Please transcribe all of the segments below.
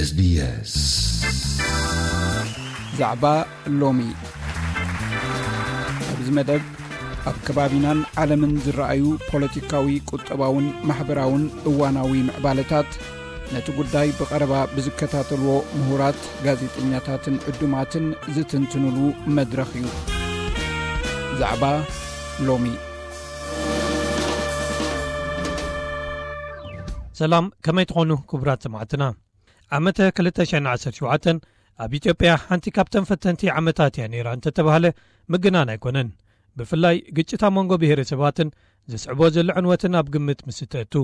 SBS። ዛዕባ ሎሚ። ኣብዚ መደብ፣ ኣብ ከባቢናን ዓለምን ዝረኣዩ ፖለቲካዊ፣ ቁጠባውን ማሕበራውን እዋናዊ ምዕባለታት፣ ነቲ ጉዳይ ብቐረባ ብዝከታተልዎ ምሁራት፣ ጋዜጠኛታትን ዕዱማትን ዝትንትኑሉ መድረኽ እዩ። ዛዕባ ሎሚ። ሰላም፣ ከመይ ትኾኑ ክቡራት ሰማዕትና? ዓመተ ክልተ ሽሕን ዓሰርተ ሸውዓተን ኣብ ኢትዮጵያ ሓንቲ ካብተን ፈተንቲ ዓመታት እያ ነይራ እንተተባህለ ምግናን ኣይኮነን። ብፍላይ ግጭት ኣብ መንጎ ብሄረሰባትን ዘስዕቦ ዘሎ ዕንወትን ኣብ ግምት ምስ እተእቱ፣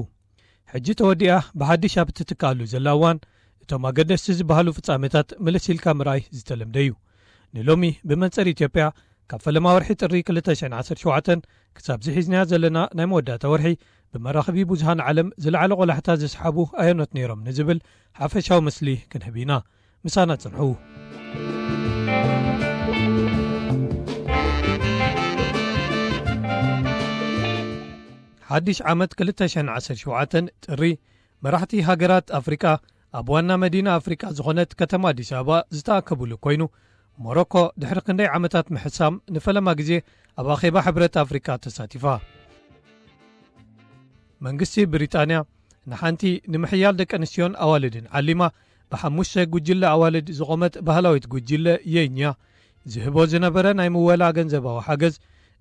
ሕጂ ተወዲኣ ብሓድሽ ኣብ እትትካኣሉ ዘላ እዋን፣ እቶም ኣገደስቲ ዝበሃሉ ፍጻሜታት ምልስ ኢልካ ምርኣይ ዝተለምደ እዩ። ንሎሚ ብመንጽር ኢትዮጵያ፣ ካብ ፈለማ ወርሒ ጥሪ ክልተ ሽሕን ዓሰርተ ሸውዓተን ክሳብ ዝሒዝናያ ዘለና ናይ መወዳእታ ወርሒ፣ ብመራኽቢ ብዙሃን ዓለም ዝለዓለ ቆላሕታ ዘስሓቡ ኣየኖት ነይሮም ንዝብል ሓፈሻዊ ምስሊ ክንህብ ኢና። ምሳና ጽንሑ። ሓድሽ ዓመት ክልተ ሽሕን ዓሰርተ ሸውዓተን ጥሪ፣ መራሕቲ ሃገራት ኣፍሪቃ ኣብ ዋና መዲና ኣፍሪቃ ዝኾነት ከተማ ኣዲስ ኣበባ ዝተኣከቡሉ ኮይኑ፣ ሞሮኮ ድሕሪ ክንደይ ዓመታት ምሕሳም ንፈለማ ግዜ ኣብ ኣኼባ ሕብረት ኣፍሪቃ ተሳቲፋ። መንግስቲ ብሪጣንያ ንሓንቲ ንምሕያል ደቂ ኣንስትዮን ኣዋልድን ዓሊማ ብሓሙሽተ ጉጅለ ኣዋልድ ዝቖመት ባህላዊት ጉጅለ የኛ ዝህቦ ዝነበረ ናይ ምወላ ገንዘባዊ ሓገዝ፣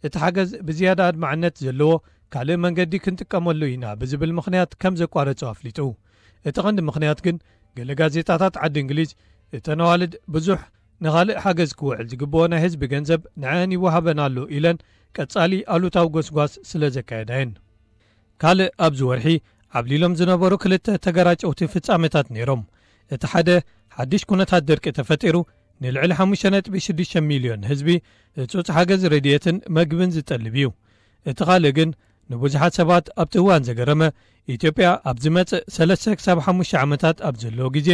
እቲ ሓገዝ ብዝያዳ ኣድማዕነት ዘለዎ ካልእ መንገዲ ክንጥቀመሉ ኢና ብዝብል ምኽንያት ከም ዘቋረጾ ኣፍሊጡ። እቲ ቀንዲ ምኽንያት ግን፣ ገለ ጋዜጣታት ዓዲ እንግሊዝ፣ እተን ኣዋልድ ብዙሕ ንኻልእ ሓገዝ ክውዕል ዝግብኦ ናይ ህዝቢ ገንዘብ ንዐን ይወሃበን ኣሎ ኢለን ቀጻሊ ኣሉታዊ ጎስጓስ ስለ ዘካየዳ እየን። ካልእ ኣብዚ ወርሒ ዓብሊሎም ዝነበሩ ክልተ ተገራጨውቲ ፍጻሜታት ነይሮም። እቲ ሓደ፣ ሓድሽ ኩነታት ድርቂ ተፈጢሩ፣ ንልዕሊ ሓሙሽተ ነጥቢ ሽዱሽተ ሚልዮን ህዝቢ ህጹጽ ሓገዝ ረድኤትን መግብን ዝጠልብ እዩ። እቲ ካልእ ግን፣ ንብዙሓት ሰባት ኣብቲ እዋን ዘገረመ፣ ኢትዮጵያ ኣብ ዝመጽእ ሰለስተ ክሳብ ሓሙሽተ ዓመታት ኣብ ዘለዎ ግዜ፣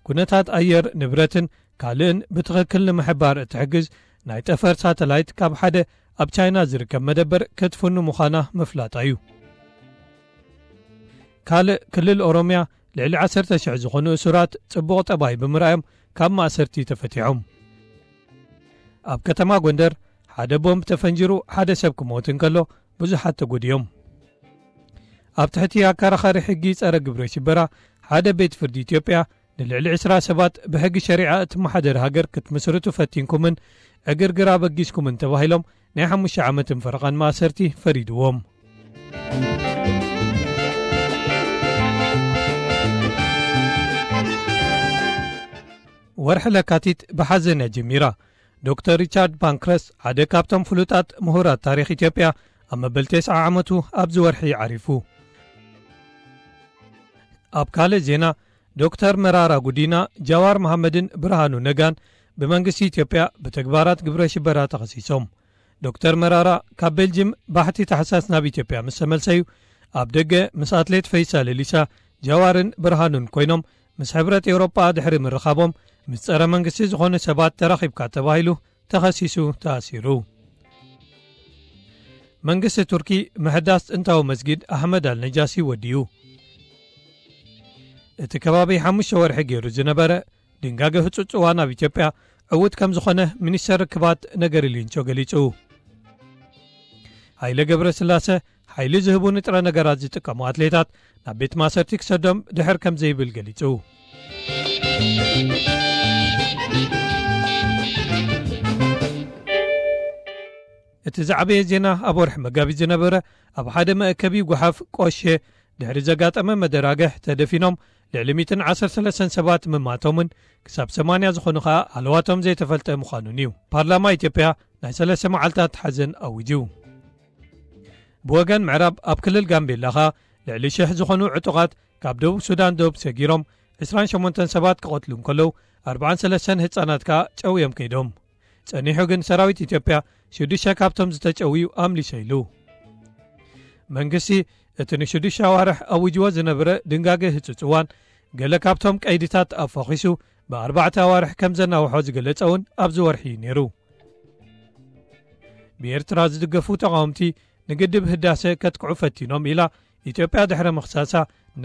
ኩነታት ኣየር፣ ንብረትን ካልእን ብትኽክል ንምሕባር እትሕግዝ ናይ ጠፈር ሳተላይት ካብ ሓደ ኣብ ቻይና ዝርከብ መደበር ክትፍኑ ምዃና ምፍላጣ እዩ። ካልእ፣ ክልል ኦሮምያ ልዕሊ ዓሰርተ ሽሕ ዝኾኑ እሱራት ጽቡቕ ጠባይ ብምርኣዮም ካብ ማእሰርቲ ተፈቲሖም። ኣብ ከተማ ጎንደር ሓደ ቦምብ ተፈንጂሩ ሓደ ሰብ ክሞት እንከሎ፣ ብዙሓት ተጎድዮም። ኣብ ትሕቲ ኣከራኻሪ ሕጊ ጸረ ግብረ ሽበራ፣ ሓደ ቤት ፍርዲ ኢትዮጵያ ንልዕሊ ዕስራ ሰባት ብሕጊ ሸሪዓ እትመሓደር ሃገር ክትምስርቱ ፈቲንኩምን ዕግርግር ኣበጊስኩምን ተባሂሎም ናይ ሓሙሽተ ዓመትን ፈረቓን ማእሰርቲ ፈሪድዎም። ወርሒ ለካቲት ብሓዘን እያ ጀሚራ። ዶክተር ሪቻርድ ፓንክረስ፣ ሓደ ካብቶም ፍሉጣት ምሁራት ታሪኽ ኢትዮጵያ፣ ኣብ መበል ተስዓ ዓመቱ ኣብዚ ወርሒ ዓሪፉ። ኣብ ካልእ ዜና፣ ዶክተር መራራ ጉዲና፣ ጃዋር መሓመድን ብርሃኑ ነጋን ብመንግስቲ ኢትዮጵያ ብተግባራት ግብረ ሽበራ ተኸሲሶም። ዶክተር መራራ ካብ ቤልጅም ባሕቲ ታሕሳስ ናብ ኢትዮጵያ ምስ ተመልሰዩ፣ ኣብ ደገ ምስ ኣትሌት ፈይሳ ሌሊሳ፣ ጃዋርን ብርሃኑን ኮይኖም ምስ ሕብረት ኤውሮጳ ድሕሪ ምርኻቦም፣ ምስ ጸረ መንግስቲ ዝኾኑ ሰባት ተራኺብካ ተባሂሉ ተኸሲሱ ተኣሲሩ። መንግስቲ ቱርኪ ምሕዳስ ጥንታዊ መስጊድ ኣሕመድ ኣልነጃሲ ወዲኡ። እቲ ከባቢ ሓሙሽተ ወርሒ ገይሩ ዝነበረ ድንጋገ ህጹጽ እዋን ኣብ ኢትዮጵያ ዕዉት ከም ዝኾነ ሚኒስተር ርክባት ነገሪ ሌንጮ ገሊጹ። ሃይለ ገብረስላሰ፣ ሓይሊ ዝህቡ ንጥረ ነገራት ዝጥቀሙ ኣትሌታት ናብ ቤት ማእሰርቲ ክሰዶም ድሕር ከም ዘይብል ገሊጹ። እቲ ዝዓበየ ዜና፣ ኣብ ወርሒ መጋቢት ዝነበረ ኣብ ሓደ መእከቢ ጓሓፍ ቆሼ ድሕሪ ዘጋጠመ መደራግሕ ተደፊኖም ልዕሊ ሚእትን ዓሰርተ ሰለስተን ሰባት ምማቶምን ክሳብ ሰማንያ ዝኾኑ ኸኣ ሃለዋቶም ዘይተፈልጠ ምዃኑን እዩ። ፓርላማ ኢትዮጵያ ናይ ሰለስተ መዓልታት ሓዘን ኣዊጁ። ብወገን ምዕራብ ኣብ ክልል ጋምቤላ ኸኣ ልዕሊ ሽሕ ዝኾኑ ዕጡቓት ካብ ደቡብ ሱዳን ዶብ ሰጊሮም ዕስራን ሸሞንተን ሰባት ክቐትሉ እንከለዉ፣ ኣርብዓን ሰለስተን ህጻናት ከኣ ጨውዮም ከይዶም። ጸኒሑ ግን ሰራዊት ኢትዮጵያ ሽዱሽተ ካብቶም ዝተጨውዩ ኣምሊሰ ኢሉ። መንግስቲ እቲ ንሽዱሽተ ኣዋርሕ ኣዊጅዎ ዝነበረ ድንጋገ ህጹጽ እዋን ገለ ካብቶም ቀይድታት ኣፋኺሱ ብኣርባዕተ ኣዋርሕ ከም ዘናውሖ ዝገለጸ እውን ኣብዚ ወርሒ እዩ ነይሩ። ብኤርትራ ዝድገፉ ተቓወምቲ ንግድብ ህዳሰ ከጥቅዑ ፈቲኖም ኢላ ኢትዮጵያ ድሕሪ ምኽሳሳ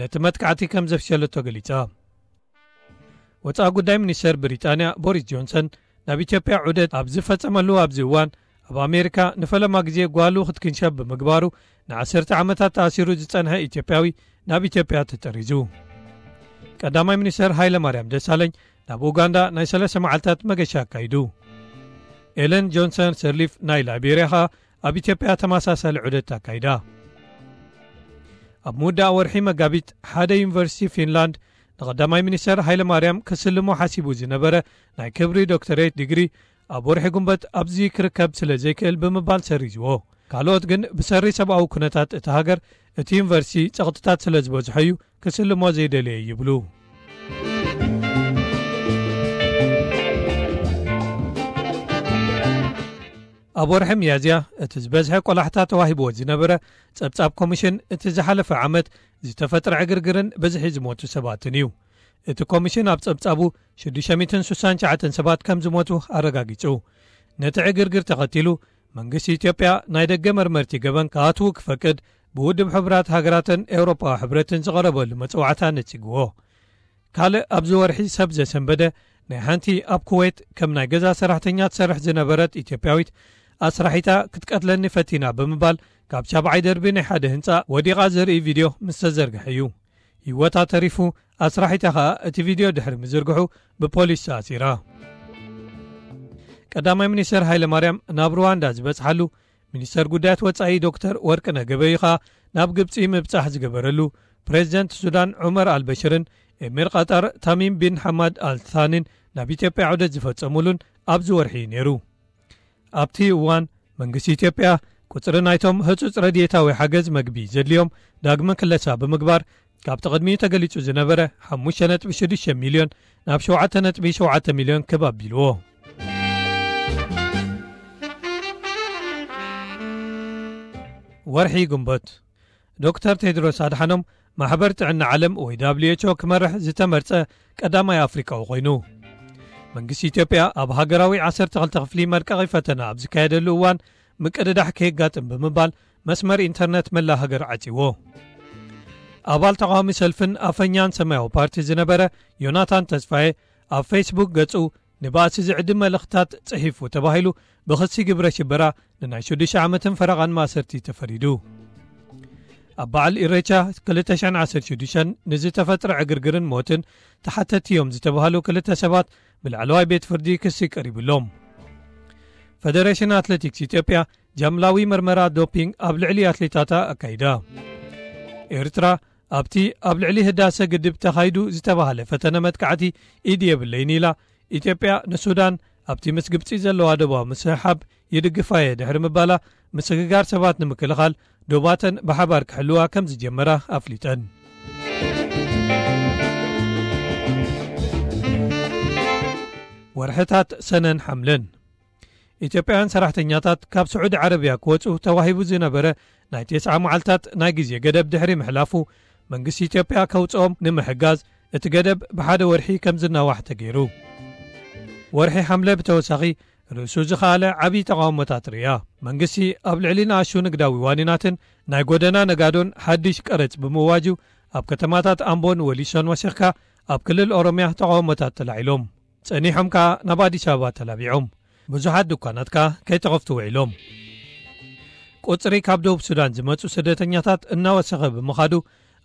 ነቲ መጥቃዕቲ ከም ዘፍሸለቶ ገሊጻ። ወፃኢ ጉዳይ ሚኒስተር ብሪጣንያ ቦሪስ ጆንሰን ናብ ኢትዮጵያ ዑደት ኣብ ዝፈጸመሉ ኣብዚ እዋን፣ ኣብ ኣሜሪካ ንፈለማ ግዜ ጓሉ ክትክንሸብ ብምግባሩ፣ ንዓሰርተ ዓመታት ተኣሲሩ ዝጸንሐ ኢትዮጵያዊ ናብ ኢትዮጵያ ተጠሪዙ። ቀዳማይ ሚኒስተር ሃይለ ማርያም ደሳለኝ ናብ ኡጋንዳ ናይ ሰለስተ መዓልታት መገሻ ኣካይዱ። ኤለን ጆንሰን ሰርሊፍ ናይ ላይቤርያ ኸኣ ኣብ ኢትዮጵያ ተመሳሳሊ ዑደት ኣካይዳ። ኣብ ምውዳእ ወርሒ መጋቢት፣ ሓደ ዩኒቨርሲቲ ፊንላንድ ንቐዳማይ ሚኒስተር ሃይለ ማርያም ክስልሞ ሓሲቡ ዝነበረ ናይ ክብሪ ዶክተሬት ዲግሪ፣ ኣብ ወርሒ ጉንበት ኣብዚ ክርከብ ስለ ዘይክእል ብምባል ሰሪዝዎ። ካልኦት ግን ብሰሪ ሰብኣዊ ኩነታት እታ ሃገር እቲ ዩኒቨርሲቲ ጸቕጥታት ስለ ዝበዝሖ እዩ ክስልሞ ዘይደለየ ይብሉ። ኣብ ወርሒ ሚያዝያ እቲ ዝበዝሐ ቆላሕታ ተዋሂብዎ ዝነበረ ጸብጻብ ኮሚሽን እቲ ዝሓለፈ ዓመት ዝተፈጥረ ዕግርግርን ብዝሒ ዝሞቱ ሰባትን እዩ። እቲ ኮሚሽን ኣብ ጸብጻቡ ሽዱሽተ ሚእትን ስሳን ትሽዓተን ሰባት ከም ዝሞቱ ኣረጋጊጹ። ነቲ ዕግርግር ተኸቲሉ መንግስቲ ኢትዮጵያ ናይ ደገ መርመርቲ ገበን ክኣትዉ ክፈቅድ ብውድብ ሕቡራት ሃገራትን ኤውሮጳዊ ሕብረትን ዝቐረበሉ መጽዋዕታ ነጺግዎ። ካልእ ኣብዚ ወርሒ ሰብ ዘሰንበደ ናይ ሓንቲ ኣብ ኩዌት ከም ናይ ገዛ ሰራሕተኛ ትሰርሕ ዝነበረት ኢትዮጵያዊት ኣስራሒታ ክትቀትለኒ ፈቲና ብምባል ካብ ሻብዓይ ደርቢ ናይ ሓደ ህንጻ ወዲቓ ዘርኢ ቪድዮ ምስ ተዘርግሐ እዩ። ህይወታ ተሪፉ፣ ኣስራሒታ ኸኣ እቲ ቪድዮ ድሕሪ ምዝርግሑ ብፖሊስ ተኣሲራ። ቀዳማይ ሚኒስተር ሃይለ ማርያም ናብ ሩዋንዳ ዝበጽሓሉ፣ ሚኒስተር ጉዳያት ወጻኢ ዶክተር ወርቅነህ ገበዩ ኸኣ ናብ ግብጺ ምብጻሕ ዝገበረሉ፣ ፕሬዚደንት ሱዳን ዑመር ኣልበሽርን ኤሚር ቐጠር ታሚም ቢን ሓማድ ኣልታኒን ናብ ኢትዮጵያ ዑደት ዝፈጸሙሉን ኣብዚ ወርሒ እዩ ነይሩ። ኣብቲ እዋን መንግስቲ ኢትዮጵያ ቁጽሪ ናይቶም ህጹጽ ረድኤታዊ ሓገዝ መግቢ ዘድልዮም ዳግመ ክለሳ ብምግባር፣ ካብቲ ቅድሚኡ ተገሊጹ ዝነበረ ሓሙሽተ ነጥቢ ሽዱሽተ ሚልዮን ናብ ሸውዓተ ነጥቢ ሸውዓተ ሚልዮን ክብ ኣቢልዎ። ወርሒ ግንቦት፣ ዶክተር ቴድሮስ ኣድሓኖም ማሕበር ጥዕና ዓለም ወይ ደብሊው ኤች ኦ ክመርሕ ዝተመርጸ ቀዳማይ ኣፍሪቃዊ ኮይኑ። መንግስቲ ኢትዮጵያ ኣብ ሃገራዊ ዓሰርተ ክልተ ክፍሊ መልቀቒ ፈተና ኣብ ዝካየደሉ እዋን ምቅድዳሕ ከየጋጥም ብምባል መስመር ኢንተርነት መላ ሃገር ዓጺዎ። ኣባል ተቓዋሚ ሰልፍን ኣፈኛን ሰማያዊ ፓርቲ ዝነበረ ዮናታን ተስፋዬ ኣብ ፌስቡክ ገጹ ንባእሲ ዝዕድም መልእኽትታት ጽሒፉ ተባሂሉ ብኽሲ ግብረ ሽበራ ንናይ ሽዱሽተ ዓመትን ፈረቓን ማእሰርቲ ተፈሪዱ። ኣብ በዓል ኢሬቻ ክልተ ሽሕን ዓሰርተ ሽዱሽተን ንዝተፈጥረ ዕግርግርን ሞትን ተሓተቲ እዮም ዝተባህሉ ክልተ ሰባት ብላዕለዋይ ቤት ፍርዲ ክሲ ቀሪቡሎም። ፈደሬሽን ኣትሌቲክስ ኢትዮጵያ ጃምላዊ መርመራ ዶፒንግ ኣብ ልዕሊ ኣትሌታታ ኣካይዳ። ኤርትራ ኣብቲ ኣብ ልዕሊ ህዳሰ ግድብ ተኻይዱ ዝተባህለ ፈተነ መጥቃዕቲ ኢድ የብለይን ኢላ። ኢትዮጵያ ንሱዳን ኣብቲ ምስ ግብጺ ዘለዋ ዶባዊ ምስሕሓብ ይድግፋ እየ ድሕሪ ምባላ፣ ምስግጋር ሰባት ንምክልኻል ዶባተን ብሓባር ክሕልዋ ከም ዝጀመራ ኣፍሊጠን። ወርሕታት ሰነን ሓምለን። ኢትዮጵያውያን ሰራሕተኛታት ካብ ስዑዲ ዓረብያ ክወጹ ተዋሂቡ ዝነበረ ናይ ተስዓ መዓልታት ናይ ግዜ ገደብ ድሕሪ ምሕላፉ፣ መንግስቲ ኢትዮጵያ ከውጽኦም ንምሕጋዝ እቲ ገደብ ብሓደ ወርሒ ከም ዝናዋሕ ተገይሩ። ወርሒ ሓምለ ብተወሳኺ ርእሱ ዝኸኣለ ዓብዪ ተቓውሞታት ርእያ። መንግስቲ ኣብ ልዕሊ ንኣሽቱ ንግዳዊ ዋኒናትን ናይ ጎደና ነጋዶን ሓድሽ ቀረጽ ብምእዋጁ፣ ኣብ ከተማታት ኣምቦን ወሊሶን ወሲኽካ ኣብ ክልል ኦሮምያ ተቓውሞታት ተላዒሎም። ጸኒሖም ከኣ ናብ ኣዲስ ኣበባ ተላቢዖም። ብዙሓት ድኳናት ከኣ ከይተኸፍቱ ውዒሎም። ቁጽሪ ካብ ደቡብ ሱዳን ዝመጹ ስደተኛታት እናወሰኸ ብምኻዱ፣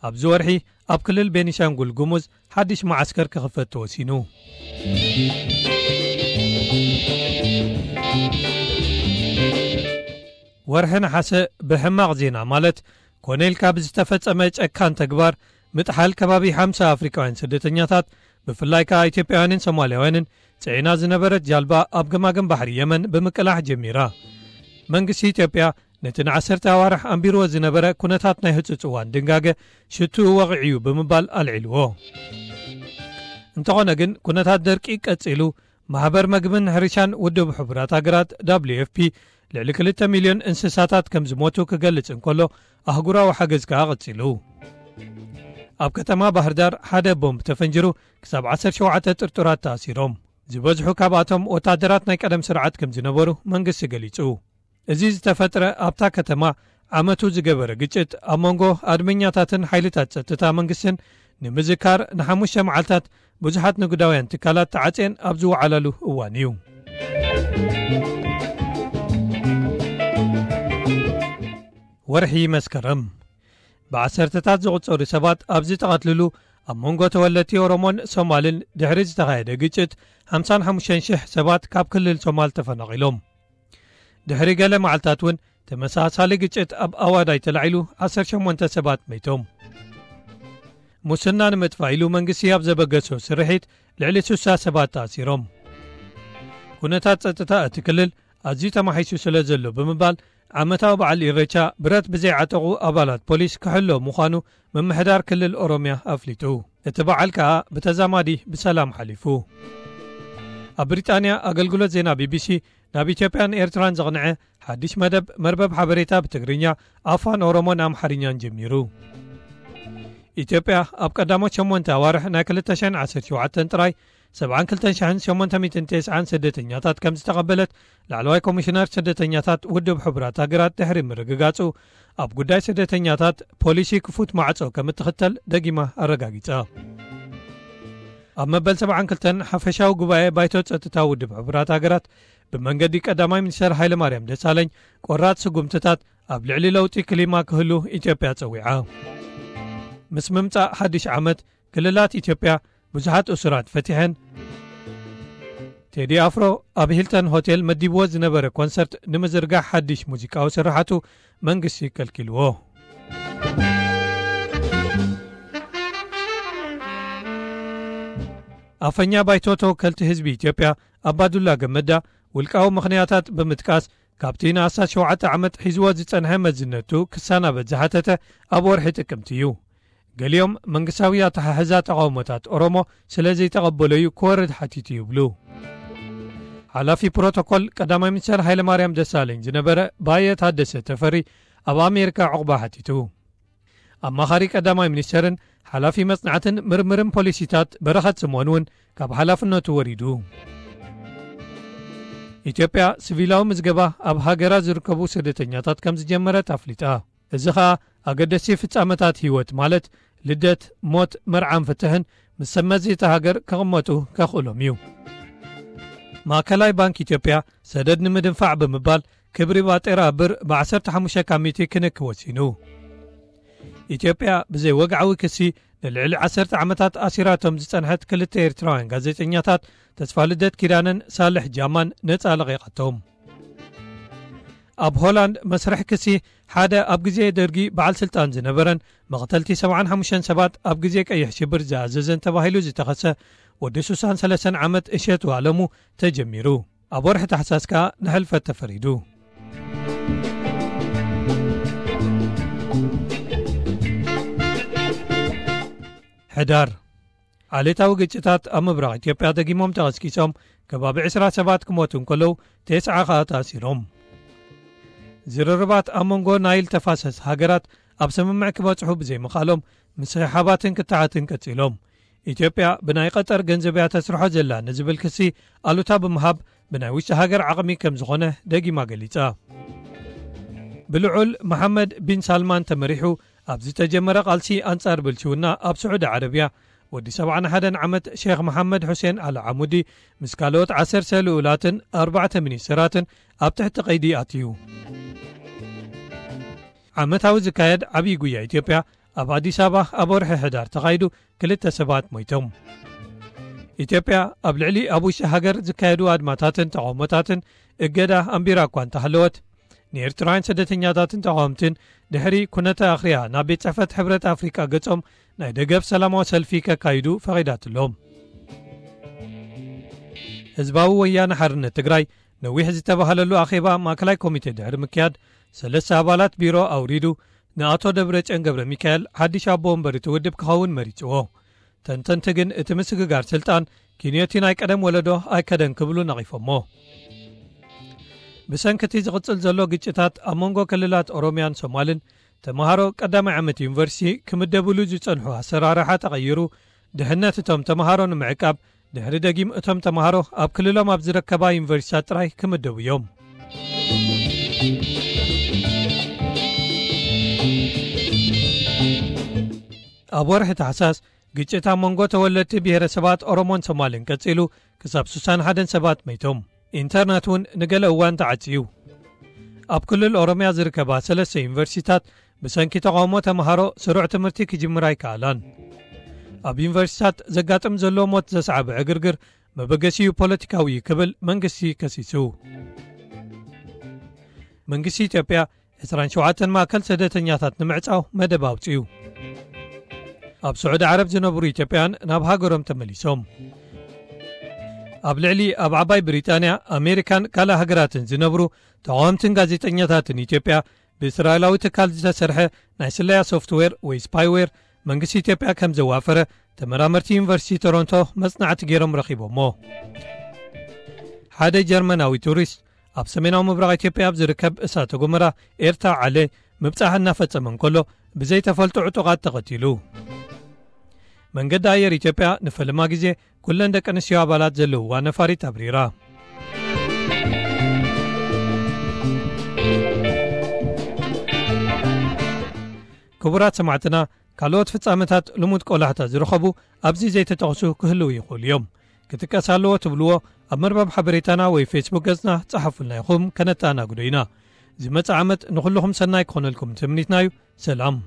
ኣብዚ ወርሒ ኣብ ክልል ቤኒሻንጉል ጉሙዝ ሓድሽ መዓስከር ክኽፈት ተወሲኑ። ወርሒ ነሓሰ ብሕማቕ ዜና ማለት ኮነ ኢልካ ብዝተፈጸመ ጨካን ተግባር ምጥሓል ከባቢ ሓምሳ ኣፍሪቃውያን ስደተኛታት፣ ብፍላይ ከኣ ኢትዮጵያውያንን ሶማልያውያንን ጽዒና ዝነበረት ጃልባ ኣብ ገማግም ባሕሪ የመን ብምቅላሕ ጀሚራ። መንግስቲ ኢትዮጵያ ነቲ ንዓሰርተ ኣዋርሕ ኣንቢርዎ ዝነበረ ኩነታት ናይ ህጹጽ እዋን ድንጋገ ሽትኡ ወቒዑ እዩ ብምባል ኣልዒልዎ። እንተኾነ ግን ኩነታት ደርቂ ቀጺሉ፣ ማሕበር መግብን ሕርሻን ውድብ ሕቡራት ሃገራት ደብሊው ኤፍ ፒ ልዕሊ ክልተ ሚልዮን እንስሳታት ከም ዝሞቱ ክገልጽ እንከሎ፣ ኣህጉራዊ ሓገዝ ከኣ ቀጺሉ። ኣብ ከተማ ባህር ዳር ሓደ ቦምብ ተፈንጅሩ ክሳብ ዓሰርተ ሸውዓተ ጥርጡራት ተኣሲሮም። ዝበዝሑ ካብኣቶም ወታደራት ናይ ቀደም ስርዓት ከም ዝነበሩ መንግስቲ ገሊጹ። እዚ ዝተፈጥረ ኣብታ ከተማ ዓመቱ ዝገበረ ግጭት ኣብ መንጎ ኣድመኛታትን ሓይልታት ጸጥታ መንግስትን ንምዝካር ንሓሙሽተ መዓልታት ብዙሓት ንግዳውያን ትካላት ተዓጽየን ኣብ ዝወዓላሉ እዋን እዩ። ወርሒ መስከረም ብዓሰርተታት ዝቑጸሩ ሰባት ኣብ ዝተቐትልሉ፣ ኣብ መንጎ ተወለድቲ ኦሮሞን ሶማልን ድሕሪ ዝተኻየደ ግጭት፣ ሓምሳን ሓሙሽተን ሽሕ ሰባት ካብ ክልል ሶማል ተፈናቒሎም። ድሕሪ ገለ መዓልታት እውን ተመሳሳሊ ግጭት ኣብ ኣዋዳይ ተላዒሉ፣ ዓሰርተ ሸሞንተ ሰባት መይቶም። ሙስና ንምጥፋእ ኢሉ መንግስቲ ኣብ ዘበገሶ ስርሒት ልዕሊ ስሳ ሰባት ተኣሲሮም። ኩነታት ጸጥታ እቲ ክልል ኣዝዩ ተማሒሱ ስለ ዘሎ ብምባል፣ ዓመታዊ በዓል ኢሬቻ ብረት ብዘይዓጠቑ ኣባላት ፖሊስ ክሕሎ ምዃኑ ምምሕዳር ክልል ኦሮምያ ኣፍሊጡ። እቲ በዓል ከኣ ብተዛማዲ ብሰላም ሓሊፉ። ኣብ ብሪጣንያ ኣገልግሎት ዜና ቢቢሲ ናብ ኢትዮጵያን ኤርትራን ዘቕንዐ ሓድሽ መደብ መርበብ ሓበሬታ ብትግርኛ፣ ኣፋን ኦሮሞን ኣምሓርኛን ጀሚሩ። ኢትዮጵያ ኣብ ቀዳሞት ሸሞንተ ኣዋርሕ ናይ ክልተ ሽሕን ዓሰርተ ሸውዓተን ጥራይ ሰብዓን ክልተን ሽሕን ሸሞንተ ሚእትን ተስዓን ስደተኛታት ከም ዝተቐበለት ላዕለዋይ ኮሚሽነር ስደተኛታት ውድብ ሕቡራት ሃገራት ድሕሪ ምርግጋጹ፣ ኣብ ጉዳይ ስደተኛታት ፖሊሲ ክፉት ማዕጾ ከም እትኽተል ደጊማ ኣረጋጊጻ። ኣብ መበል ሰብዓን ክልተን ሓፈሻዊ ጉባኤ ባይቶ ጸጥታ ውድብ ሕቡራት ሃገራት ብመንገዲ ቀዳማይ ሚኒስተር ሃይለማርያም ደሳለኝ ቆራጽ ስጉምትታት ኣብ ልዕሊ ለውጢ ክሊማ ክህሉ ኢትዮጵያ ጸዊዓ። ምስ ምምጻእ ሓድሽ ዓመት፣ ክልላት ኢትዮጵያ ብዙሓት እሱራት ፈቲሐን። ቴዲ ኣፍሮ ኣብ ሂልተን ሆቴል መዲብዎ ዝነበረ ኮንሰርት ንምዝርጋሕ ሓድሽ ሙዚቃዊ ስርሓቱ መንግስቲ ከልኪልዎ። ኣፈኛ ባይቶ ተወከልቲ ህዝቢ ኢትዮጵያ ኣባዱላ ገመዳ፣ ውልቃዊ ምኽንያታት ብምጥቃስ፣ ካብቲ ንኣስታት ሸውዓተ ዓመት ሒዝዎ ዝጸንሐ መዝነቱ ክሰናበት ዝሓተተ ኣብ ወርሒ ጥቅምቲ እዩ። ገሊኦም መንግስታዊ ኣተሓሕዛ ተቓውሞታት ኦሮሞ ስለ ዘይተቐበሎ'ዩ ክወርድ ሓቲቱ ይብሉ። ሓላፊ ፕሮቶኮል ቀዳማይ ሚኒስተር ሃይለማርያም ደሳለኝ ዝነበረ ባየ ታደሰ ተፈሪ ኣብ ኣሜሪካ ዕቑባ ሓቲቱ። ኣማኻሪ ቀዳማይ ሚኒስተርን ሓላፊ መጽናዕትን ምርምርን ፖሊሲታት በረኸት ስምኦን እውን ካብ ሓላፍነቱ ወሪዱ። ኢትዮጵያ ሲቪላዊ ምዝገባ ኣብ ሃገራ ዝርከቡ ስደተኛታት ከም ዝጀመረት ኣፍሊጣ። እዚ ኸኣ ኣገደስቲ ፍጻመታት ህይወት፣ ማለት ልደት፣ ሞት፣ መርዓን ፍትሕን፣ ምስ ሰብ መዚ እታ ሃገር ክቕመጡ ከኽእሎም እዩ። ማእከላይ ባንክ ኢትዮጵያ ሰደድ ንምድንፋዕ ብምባል ክብሪ ባጤራ ብር ብ15 ካብ ሚእቲ ክንኪ ወሲኑ። ኢትዮጵያ ብዘይ ወግዓዊ ክሲ ንልዕሊ ዓሰርተ ዓመታት ኣሲራቶም ዝጸንሐት ክልተ ኤርትራውያን ጋዜጠኛታት ተስፋ ልደት ኪዳነን ሳልሕ ጃማን ነጻ ለቒቓቶም። ኣብ ሆላንድ መስርሕ ክሲ ሓደ ኣብ ግዜ ደርጊ በዓል ስልጣን ዝነበረን መቕተልቲ ሰብዓን ሓሙሽተን ሰባት ኣብ ግዜ ቀይሕ ሽብር ዝኣዘዘን ተባሂሉ ዝተኸሰ ወዲ ስሳን ሰለስተን ዓመት እሸቱ ኣለሙ ተጀሚሩ። ኣብ ወርሒ ታሕሳስ ከኣ ንሕልፈት ተፈሪዱ። ሕዳር፣ ዓሌታዊ ግጭታት ኣብ ምብራቕ ኢትዮጵያ ደጊሞም ተቐስቂሶም፣ ከባቢ ዕስራ ሰባት ክሞቱ እንከለዉ፣ ተስዓ ኸኣ ተኣሲሮም። ዝርርባት ኣብ መንጎ ናይል ተፋሰስ ሃገራት ኣብ ስምምዕ ክበጽሑ ብዘይምኽኣሎም፣ ምስሕሓባትን ክትዓትን ቀጺሎም። ኢትዮጵያ ብናይ ቀጠር ገንዘብ እያ ተስርሖ ዘላ ንዝብል ክሲ ኣሉታ ብምሃብ፣ ብናይ ውሽጢ ሃገር ዓቕሚ ከም ዝኾነ ደጊማ ገሊጻ። ብልዑል መሓመድ ቢን ሳልማን ተመሪሑ ኣብ ዝተጀመረ ቃልሲ ኣንጻር ብልሽውና ኣብ ስዑዲ ዓረብያ፣ ወዲ ሰብዓን ሓደን ዓመት ሼኽ መሓመድ ሑሴን ኣል ዓሙዲ ምስ ካልኦት ዓሰርተ ልኡላትን ኣርባዕተ ሚኒስተራትን ኣብ ትሕቲ ቀይዲ ኣትዩ። ዓመታዊ ዝካየድ ዓብዪ ጉያ ኢትዮጵያ ኣብ ኣዲስ ኣበባ ኣብ ወርሒ ሕዳር ተኻይዱ፣ ክልተ ሰባት ሞይቶም። ኢትዮጵያ ኣብ ልዕሊ ኣብ ውሽጢ ሃገር ዝካየዱ ኣድማታትን ተቓውሞታትን እገዳ ኣንቢራ እኳ እንተሃለወት፣ ንኤርትራውያን ስደተኛታትን ተቓወምትን ድሕሪ ኩነተ ኣኽርያ ናብ ቤት ጽሕፈት ሕብረት ኣፍሪቃ ገጾም ናይ ደገፍ ሰላማዊ ሰልፊ ከካይዱ ፈቒዳትሎም። ህዝባዊ ወያነ ሓርነት ትግራይ ነዊሕ ዝተባህለሉ ኣኼባ ማእከላይ ኮሚቴ ድሕሪ ምክያድ፣ ሰለስተ ኣባላት ቢሮ ኣውሪዱ፣ ንኣቶ ደብረጽዮን ገብረ ሚካኤል ሓድሽ ኣቦ ወንበር እቲ ውድብ ክኸውን መሪጽዎ። ተንተንቲ ግን እቲ ምስግጋር ስልጣን ኪንዮቲ ናይ ቀደም ወለዶ ኣይከደን ክብሉ ነቒፎሞ። ብሰንኪ እቲ ዝቕጽል ዘሎ ግጭታት ኣብ መንጎ ክልላት ኦሮምያን ሶማልን፣ ተመሃሮ ቀዳማይ ዓመት ዩኒቨርሲቲ ክምደብሉ ዝጸንሑ ኣሰራርሓ ተቐይሩ፣ ድሕነት እቶም ተመሃሮ ንምዕቃብ፣ ድሕሪ ደጊም እቶም ተመሃሮ ኣብ ክልሎም ኣብ ዝርከባ ዩኒቨርሲታት ጥራይ ክምደቡ እዮም። ኣብ ወርሒ ታሕሳስ፣ ግጭት ኣብ መንጎ ተወለድቲ ብሄረሰባት ኦሮሞን ሶማልን ቀጺሉ፣ ክሳብ ስሳን ሓደን ሰባት መይቶም። ኢንተርነት እውን ንገለ እዋን ተዓጽዩ። ኣብ ክልል ኦሮምያ ዝርከባ ሰለስተ ዩኒቨርሲቲታት ብሰንኪ ተቓውሞ ተምሃሮ ስሩዕ ትምህርቲ ክጅምራ ኣይከኣላን። ኣብ ዩኒቨርሲቲታት ዘጋጥም ዘሎ ሞት ዘስዓበ ዕግርግር መበገሲኡ ፖለቲካዊ እዩ ክብል መንግስቲ ከሲሱ። መንግስቲ ኢትዮጵያ ዕስራን ሸውዓተን ማእከል ስደተኛታት ንምዕጻው መደብ ኣውጺኡ። ኣብ ስዑዲ ዓረብ ዝነብሩ ኢትዮጵያን ናብ ሃገሮም ተመሊሶም። ኣብ ልዕሊ ኣብ ዓባይ ብሪጣንያ፣ ኣሜሪካን ካልእ ሃገራትን ዝነብሩ ተቓወምትን ጋዜጠኛታትን ኢትዮጵያ ብእስራኤላዊ ትካል ዝተሰርሐ ናይ ስለያ ሶፍትዌር ወይ ስፓይዌር መንግስቲ ኢትዮጵያ ከም ዘዋፈረ ተመራመርቲ ዩኒቨርሲቲ ቶሮንቶ መጽናዕቲ ገይሮም ረኺቦሞ። ሓደ ጀርመናዊ ቱሪስት ኣብ ሰሜናዊ ምብራቕ ኢትዮጵያ ኣብ ዝርከብ እሳተ ጎመራ ኤርታ ዓለ ምብጻሕ እናፈጸመ እንከሎ ብዘይተፈልጡ ዕጡቓት ተቐቲሉ። መንገዲ ኣየር ኢትዮጵያ ንፈለማ ግዜ ኩለን ደቂ ኣንስትዮ ኣባላት ዘለውዋ ነፋሪት ኣብሪራ። ክቡራት ሰማዕትና፣ ካልኦት ፍጻመታት ልሙድ ቆላሕታ ዝረኸቡ ኣብዚ ዘይተጠቕሱ ክህልዉ ይኽእሉ እዮም። ክጥቀስ ኣለዎ ትብልዎ ኣብ መርበብ ሓበሬታና ወይ ፌስቡክ ገጽና ጸሓፉልና ኢኹም፣ ከነተኣናግዶ ኢና። ዝመጽእ ዓመት ንኹልኹም ሰናይ ክኾነልኩም ትምኒትና እዩ። ሰላም።